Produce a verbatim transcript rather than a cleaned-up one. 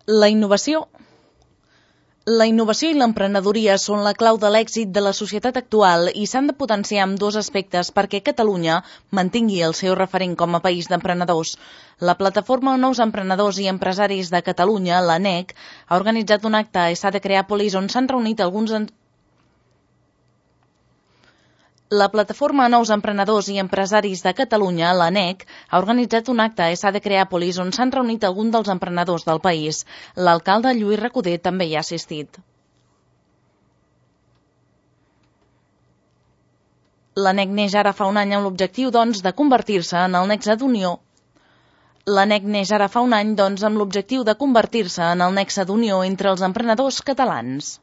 La innovació. La innovació i l'emprenedoria són la clau de l'èxit de la societat actual i s'han de potenciar amb dos aspectes perquè Catalunya mantingui el seu referent com a país d'emprenedors. La plataforma Nous Emprenedors i Empresaris de Catalunya, la N E C, ha organitzat un acte a Essa de Creàpolis on s'han reunit alguns... En... La plataforma Nous Emprenedors i Empresaris de Catalunya, la N E C, ha organitzat un acte a Essa de Creàpolis on s'han reunit alguns dels emprenedors del país. L'alcalde Lluís Recoder també hi ha assistit. La N E C neix ara fa un any amb l'objectiu, doncs, de convertir-se en el nexe d'unió. La N E C neix ara fa un any, doncs, amb l'objectiu de convertir-se en el nexe d'unió entre els emprenedors catalans.